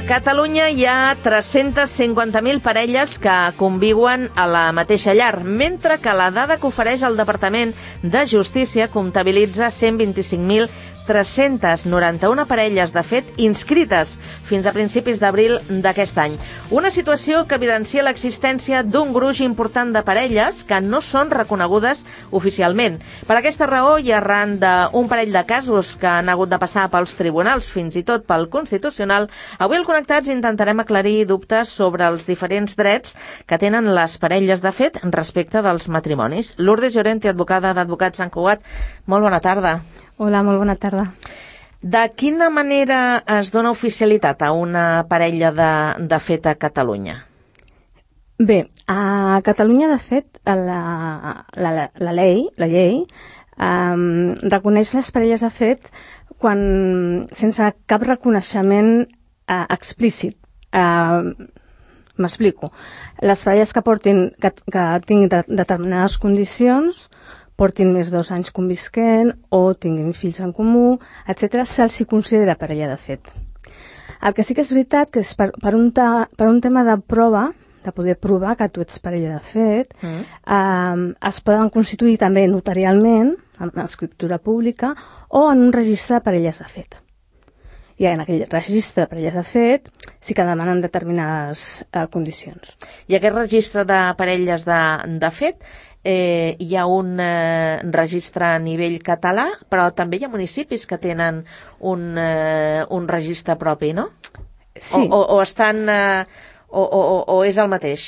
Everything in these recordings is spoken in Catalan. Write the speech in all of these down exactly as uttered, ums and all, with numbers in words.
Catalunya hi ha tres-centes cinquanta mil parelles que conviuen a la mateixa llar, mentre que la dada que ofereix el Departament de Justícia comptabilitza cent vint-i-cinc mil tres-centes noranta-una parelles, de fet, inscrites fins a principis d'abril d'aquest any. Una situació que evidencia l'existència d'un gruix important de parelles que no són reconegudes oficialment. Per aquesta raó, i arran d'un parell de casos que han hagut de passar pels tribunals, fins i tot pel Constitucional, avui al Connectats intentarem aclarir dubtes sobre els diferents drets que tenen les parelles de fet respecte dels matrimonis. Lourdes Llorente, advocada d'Advocats Sant Cugat, molt bona tarda. Hola, molt bona tarda. De quina manera es dona oficialitat a una parella de, de fet a Catalunya? Bé, a Catalunya, de fet, la, la, la, la llei, la llei um, reconeix les parelles de fet quan, sense cap reconeixement uh, explícit. Uh, M'explico. Les parelles que portin, que, que tinguin de, determinades condicions, portin més de dos anys convisquent o tinguin fills en comú, etcètera, se'ls hi considera parella de fet. El que sí que és veritat que és per, per, un, ta, per un tema de prova, de poder provar que tu ets parella de fet, mm. eh, es poden constituir també notarialment, en l'escriptura pública, o en un registre de parelles de fet. I en aquell registre de parelles de fet sí que demanen determinades eh, condicions. I aquest registre de parelles de, de fet, Eh, hi ha un eh, registre a nivell català, però també hi ha municipis que tenen un, eh, un registre propi, no? Sí. O, o, o estan... Eh, o, o, o és el mateix?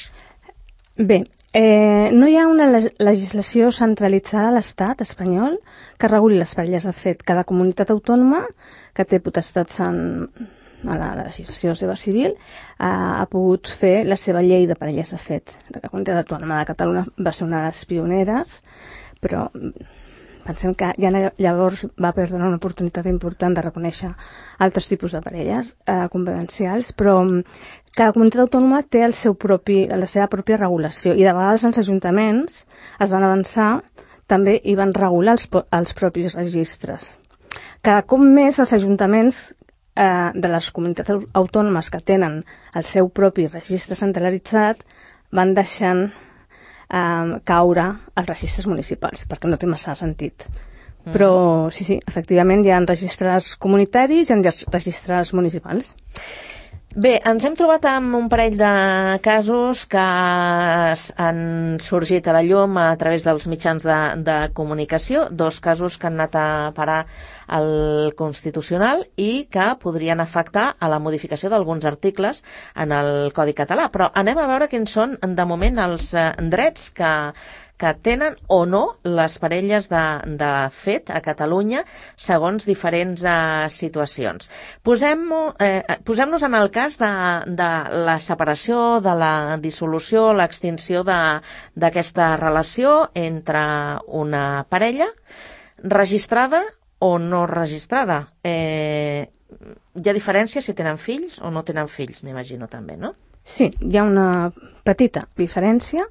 Bé, eh, no hi ha una legislació centralitzada a l'Estat espanyol que reguli les parelles de fet. Cada comunitat autònoma que té potestats en... a la legislació seva civil, ha, ha pogut fer la seva llei de parelles de fet. La Comunitat Autònoma de Catalunya va ser una de les pioneres, però pensem que ja llavors va perdre una oportunitat important de reconèixer altres tipus de parelles eh, convivencials, però cada comunitat autònoma té el seu propi, la seva pròpia regulació, i de vegades els ajuntaments es van avançar, també hi van regular els, els propis registres. Cada cop més els ajuntaments de les comunitats autònomes que tenen el seu propi registre centralitzat van deixant eh, caure els registres municipals, perquè no té massa sentit. Mm. Però sí, sí, efectivament hi ha registres comunitaris i hi ha registres municipals. Bé, ens hem trobat amb un parell de casos que han sorgit a la llum a través dels mitjans de, de comunicació, dos casos que han anat a parar al Constitucional i que podrien afectar a la modificació d'alguns articles en el Codi Català. Però anem a veure quins són, de moment, els drets que, que tenen o no les parelles de, de fet a Catalunya segons diferents eh, situacions. Posem-nos eh, posem en el cas de, de la separació, de la dissolució, l'extinció d'aquesta relació entre una parella registrada o no registrada. Eh, hi ha diferència si tenen fills o no tenen fills, m'imagino també, no? Sí, hi ha una petita diferència,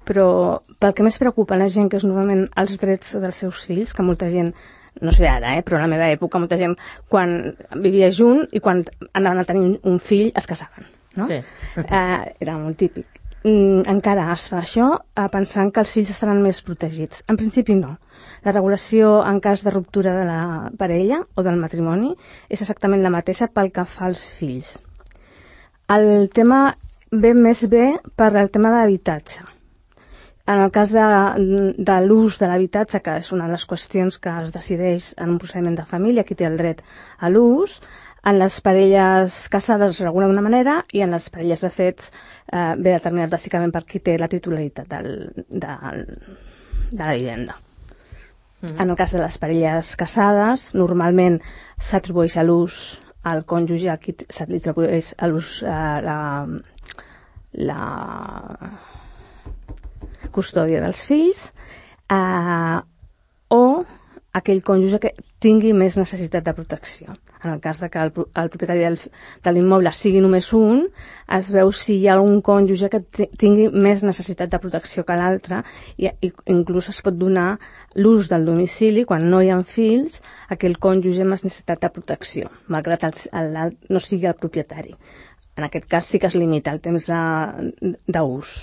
però pel que més preocupa la gent, que és normalment els drets dels seus fills, que molta gent, no sé ara, eh, però a la meva època, molta gent, quan vivia junt i quan anaven a tenir un fill es casaven, no? Sí. Eh, era molt típic. Mm, encara es fa això eh, pensant que els fills estaran més protegits. En principi no. La regulació en cas de ruptura de la parella o del matrimoni és exactament la mateixa pel que fa als fills. El tema ve més bé per el tema de l'habitatge. En el cas de, de l'ús de l'habitatge, que és una de les qüestions que es decideix en un procediment de família, qui té el dret a l'ús, en les parelles casades es regula d'una manera i en les parelles de fets eh, ve determinat bàsicament per qui té la titularitat del, del, de la vivenda. Mm-hmm. En el cas de les parelles casades, normalment s'atribueix a l'ús al cònjuge, a qui s'atribueix a l'ús eh, la, la custòdia dels fills, eh, o aquell cònjuge que tingui més necessitat de protecció. En el cas de que el, el propietari del, de l'immoble sigui només un, es veu si hi ha algun cònjuge que tingui més necessitat de protecció que l'altre, i, i inclús es pot donar l'ús del domicili, quan no hi ha fills, a aquell cònjuge amb necessitat de protecció, malgrat el, el, el, no sigui el propietari. en aquest cas sí que es limita el temps d'ús.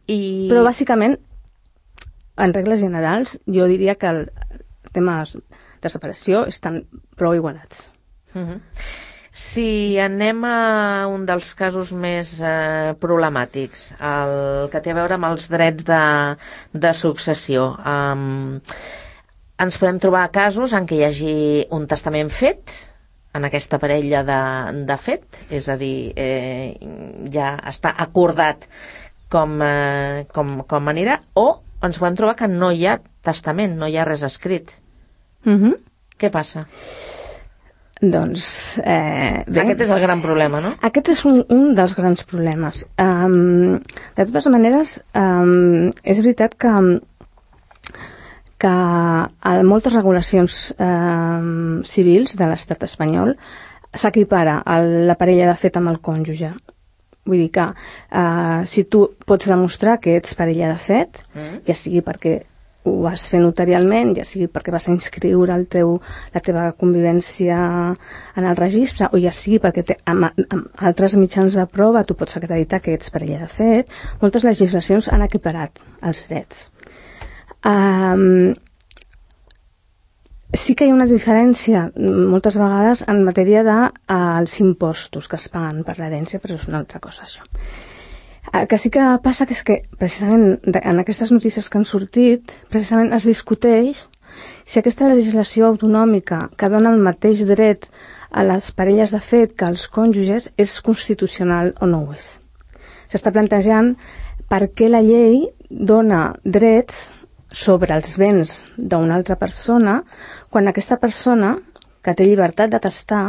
I... Però bàsicament, en regles generals, jo diria que els temes de separació estan prou igualats. Uh-huh. Si anem a un dels casos més eh, problemàtics, el que té a veure amb els drets de, de successió, um, ens podem trobar casos en què hi hagi un testament fet en aquesta parella de, de fet, és a dir, eh, ja està acordat com, eh, com, com anirà, o ens podem trobar que no hi ha testament, no hi ha res escrit. Uh-huh. Què passa? Doncs... Eh, bé, aquest és el gran problema, no? Aquest és un, un dels grans problemes. Um, de totes maneres, um, és veritat que, que a moltes regulacions um, civils de l'estat espanyol s'equipara la parella de fet amb el cònjuge. Vull dir que uh, si tu pots demostrar que ets parella de fet, mm. ja sigui perquè ho vas fer notarialment, ja sigui perquè vas inscriure el teu, la teva convivència en el registre, o ja sigui perquè te, amb, amb altres mitjans de prova tu pots acreditar que ets parella de fet, moltes legislacions han equiparat els drets. Um, sí que hi ha una diferència moltes vegades en matèria dels uh, impostos que es paguen per l'herència, però és una altra cosa això. El que sí que passa que és que precisament en aquestes notícies que han sortit precisament es discuteix si aquesta legislació autonòmica que dona el mateix dret a les parelles de fet que als cònjuges és constitucional o no ho és. S'està plantejant per què la llei dona drets sobre els béns d'una altra persona quan aquesta persona, que té llibertat de testar,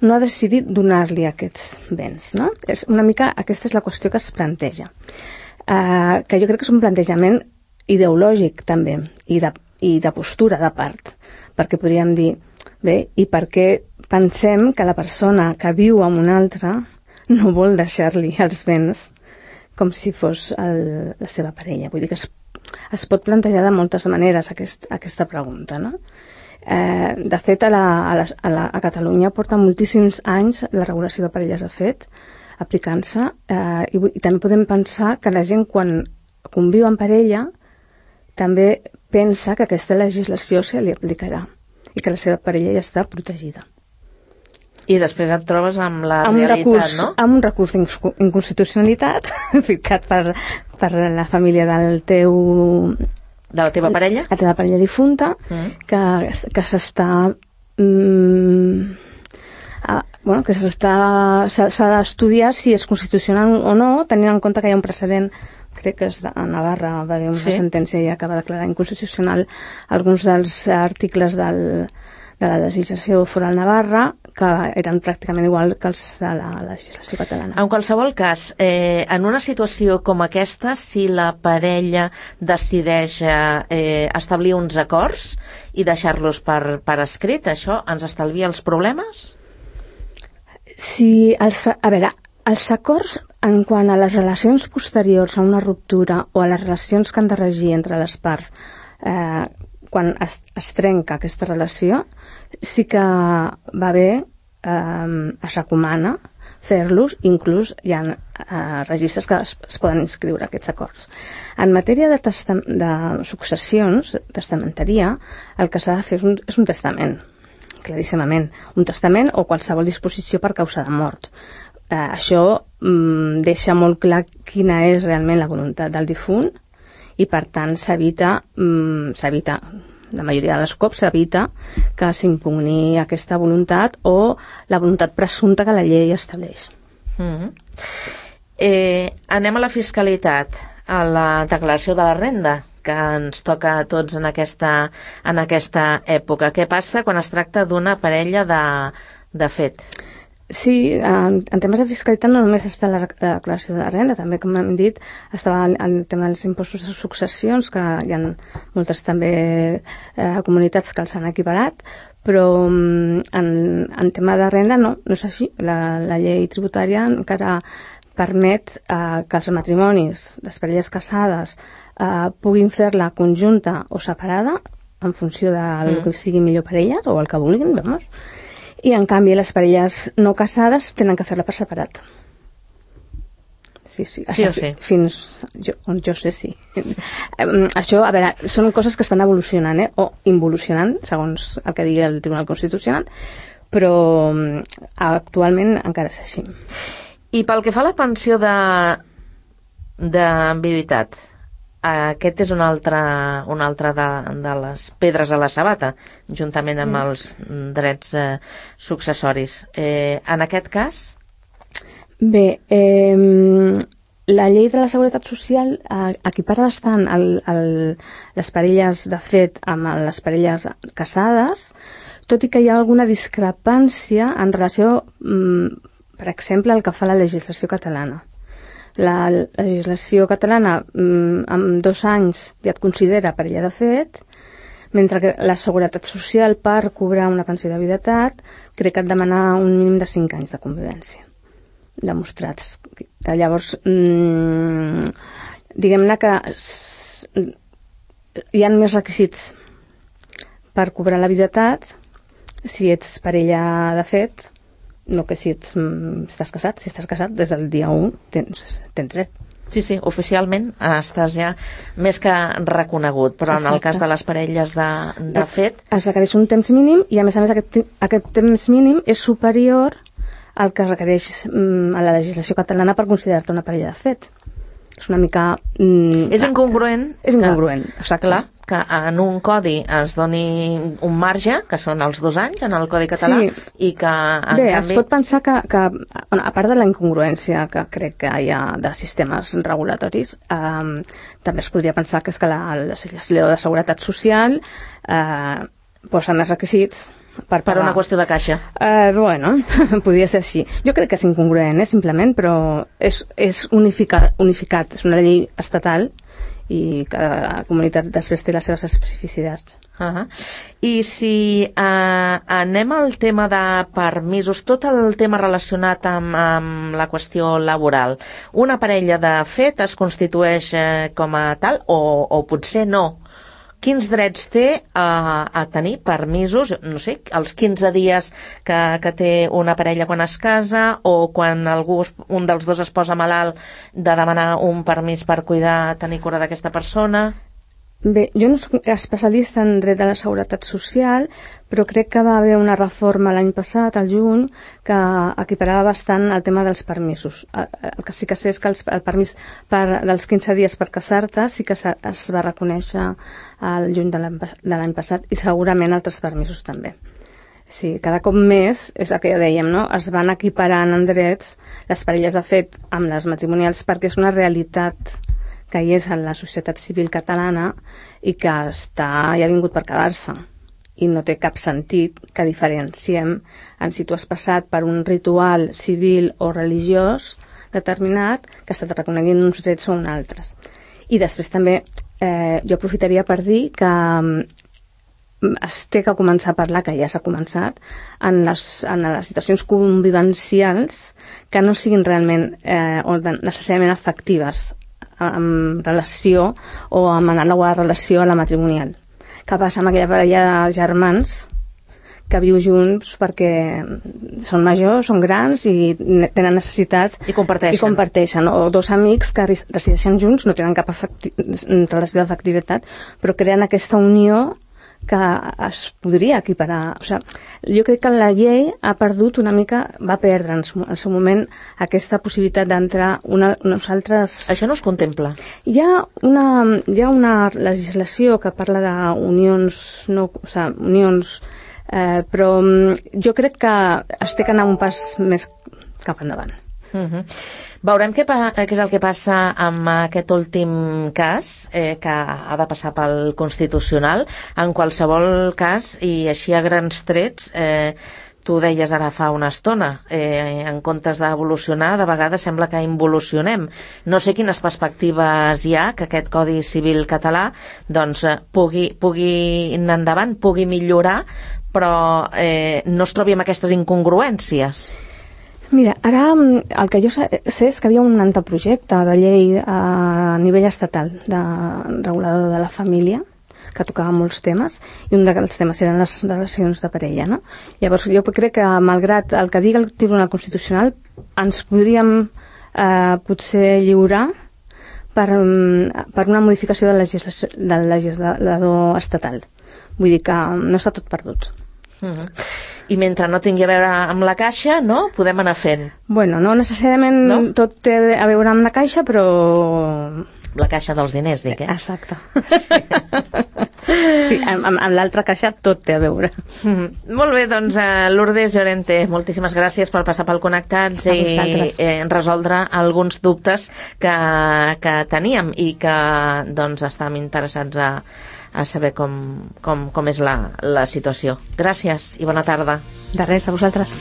no ha decidit donar-li aquests béns, no? És una mica, aquesta és la qüestió que es planteja. Uh, que jo crec que és un plantejament ideològic, també, i de, i de postura, de part. Perquè podríem dir, bé, i per què pensem que la persona que viu amb una altra no vol deixar-li els béns com si fos el, la seva parella? Vull dir que es, es pot plantejar de moltes maneres aquest, aquesta pregunta, no? Eh, de fet, a, la, a, la, a, la, a Catalunya porta moltíssims anys la regulació de parelles de fet aplicant-se, eh, i, i també podem pensar que la gent quan conviu en parella també pensa que aquesta legislació se li aplicarà i que la seva parella ja està protegida. I després et trobes amb la amb realitat, recurs, no? Amb un recurs d'inconstitucionalitat ficat per, per la família del teu... De la teva parella? La teva parella difunta, mm. que, que s'està... Mm, a, bueno, que s'està... S'ha d'estudiar si és constitucional o no, tenint en compte que hi ha un precedent, crec que és de, a Navarra, va haver una sí. sentència ja que va declarar inconstitucional alguns dels articles del, de la legislació foral Navarra, que eren pràcticament igual que els de la legislació catalana. En qualsevol cas, eh, en una situació com aquesta, si la parella decideix eh, establir uns acords i deixar-los per, per escrit, això ens estalvia els problemes? Sí, els, a veure, els acords en quant a les relacions posteriors a una ruptura o a les relacions que han de regir entre les parts eh, quan es, es trenca aquesta relació, sí que va bé, eh, es recomana fer-los, inclús hi ha eh, registres que es, es poden inscriure aquests acords. En matèria de, testam, de successions, testamenteria, el que s'ha de fer és un, és un testament, claríssimament, un testament o qualsevol disposició per causa de mort. Eh, això mm, deixa molt clar quina és realment la voluntat del difunt i per tant s'evita, mm, s'evita, la majoria de les cops s'evita que s'impugni aquesta voluntat o la voluntat presumpta que la llei estableix. Mm-hmm. eh, anem a la fiscalitat, a la declaració de la renda, que ens toca a tots en aquesta, en aquesta època. Què passa quan es tracta d'una parella de, de fet? Sí, en, en temes de fiscalitat no només està la, la declaració de la renda, també, com hem dit, estava el, el tema dels impostos de successions, que hi ha moltes també eh, comunitats que els han equiparat, però en, en tema de renda no, no és així. La, la llei tributària encara permet eh, que els matrimonis, les parelles casades, eh, puguin fer-la conjunta o separada en funció del sí. que sigui millor per elles o el que vulguin, vamos. i en canvi les parelles no casades tenen que fer-la per separat. Sí, sí, sí o sí. Fins jo, on jo sé, sí. Això, a veure, són coses que estan evolucionant, eh? O involucionant, segons el que digui el Tribunal Constitucional, però actualment encara és així. I pel que fa a la pensió de d'enviduïtat, aquest és una altra, una altra de, de les pedres a la sabata, juntament amb els drets eh, successoris. Eh, en aquest cas... Bé, eh, la llei de la Seguretat Social eh, equipara bastant el, el, les parelles de fet amb les parelles casades, tot i que hi ha alguna discrepància en relació, mm, per exemple, al que fa la legislació catalana. La legislació catalana mm, amb dos anys ja et considera parella de fet, mentre que la Seguretat Social per cobrar una pensió de viduïtat crec que et demana un mínim de cinc anys de convivència demostrats. Llavors, mmm, diguem-ne que hi ha més requisits per cobrar la viduïtat si ets parella de fet, no que si ets, estàs casat. Si estàs casat, des del dia u tens, tens dret. Sí, sí, oficialment estàs ja més que reconegut, però Exacte. En el cas de les parelles de, de fet... Es requereix un temps mínim i, a més a més, aquest, aquest temps mínim és superior al que requereix mm, a la legislació catalana per considerar-te una parella de fet. És una mica... Mm, és incongruent. És incongruent, que, exacte. Clar, que en un codi es doni un marge, que són els dos anys en el Codi Català, sí. I que en Bé, canvi... es pot pensar que, que, a part de la incongruència que crec que hi ha de sistemes regulatoris, eh, també es podria pensar que és que la legislació de seguretat social eh, posa més requisits per, per una qüestió de caixa. Uh, bueno, podria ser així. Jo crec que és incongruent, eh, simplement, però és, és unificat, unificat, és una llei estatal i cada comunitat després té les seves especificitats. Uh-huh. I si uh, anem al tema de permisos, tot el tema relacionat amb, amb la qüestió laboral, una parella de fet es constitueix eh, com a tal o, o potser no? Quins drets té a, a tenir permisos, no sé, els quinze dies que, que té una parella quan es casa o quan algú, un dels dos es posa malalt, de demanar un permís per cuidar, tenir cura d'aquesta persona? Bé, jo no soc especialista en dret de la seguretat social, però crec que va haver una reforma l'any passat, al juny, que equiparava bastant el tema dels permisos. El que sí que sé és que el permís per, dels quinze dies per casar-te sí que es va reconèixer al juny de l'any passat i segurament altres permisos també. Sí, cada cop més, és el que ja dèiem, no? Es van equiparant en drets les parelles de fet amb les matrimonials perquè és una realitat que hi és en la societat civil catalana i que està, ja ha vingut per quedar-se i no té cap sentit que diferenciem en si tu has passat per un ritual civil o religiós determinat que se te reconeguin uns drets o uns altres. I després també eh, jo aprofitaria per dir que es té que començar a parlar, que ja s'ha començat, en les, en les situacions convivencials que no siguin realment eh, o necessàriament efectives en relació o amb anàloga relació a la matrimonial. Què passa amb aquella parella de germans que viu junts perquè són majors, són grans i tenen necessitat i comparteixen, i comparteixen. O dos amics que resideixen junts, no tenen cap efecti- relació d'afectivitat, però creen aquesta unió que es podria equiparar. O sigui, jo crec que la llei ha perdut una mica, va perdre en el seu moment aquesta possibilitat d'entrar una, unes altres... Això no es contempla. Hi ha una, hi ha una legislació que parla d'unions, no, o sigui, unions, eh, però jo crec que es té que anar un pas més cap endavant. Uh-huh. Veurem què, pa- què és el que passa amb aquest últim cas eh, que ha de passar pel Constitucional. En qualsevol cas, i així a grans trets, eh, tu deies ara fa una estona, eh, en comptes d'evolucionar, de vegades sembla que involucionem. No sé quines perspectives hi ha que aquest Codi Civil català doncs, pugui, pugui anar endavant, pugui millorar, però eh, no es trobi amb aquestes incongruències. Mira, ara el que jo sé és que havia un anteprojecte de llei a nivell estatal de regulador de la família que tocava molts temes, i un dels temes eren les relacions de parella, no? Llavors jo crec que, malgrat el que digui el Tribunal Constitucional, ens podríem eh, potser lliurar per, per una modificació del, legislació, del legislador estatal. Vull dir que no està tot perdut. Mm-hmm. I mentre no tingui a veure amb la caixa, no? Podem anar fent. Bueno, no necessàriament no? Tot té a veure amb la caixa, però... La caixa dels diners, dic, eh? Exacte. Sí, sí amb, amb l'altra caixa tot té a veure. Mm. Molt bé, doncs, uh, Lourdes Llorente, moltíssimes gràcies per passar pel Connectats i eh, resoldre alguns dubtes que, que teníem i que, doncs, estàvem interessats a a saber com, com, com és la, la situació. Gràcies i bona tarda. De res, a vosaltres.